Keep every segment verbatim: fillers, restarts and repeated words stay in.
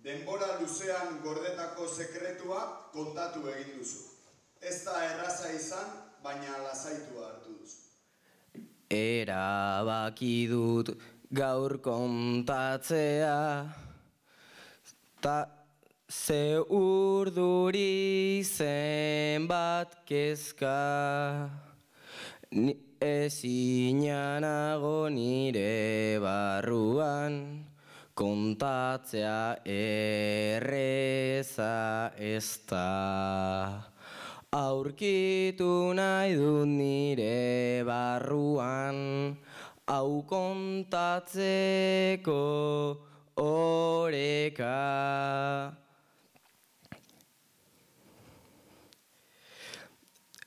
denbora luzean gordetako sekretua kontatu egin duzu. Ez da erraza izan, baina lasaitua hartu duzu. Erabaki dut gaur kontatzea, ta ze urduri zenbat kezka, ezinanago nire barruan, kontatzea erreza ez da. Aurkitu nahi dut nire barruan, hau kontatzeko oreka.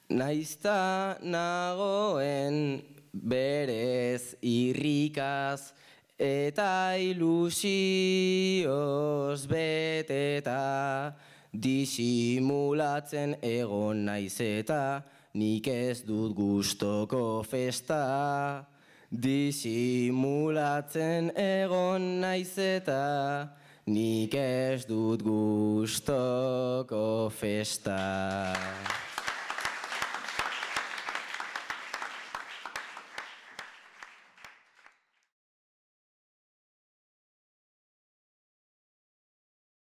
Naizta nagoen berez irrikaz eta ilusioz beteta, disimulatzen egon naiz eta nik ez dut gustoko festa. Disimulatzen egon naiz eta nik ez dut gustoko festa.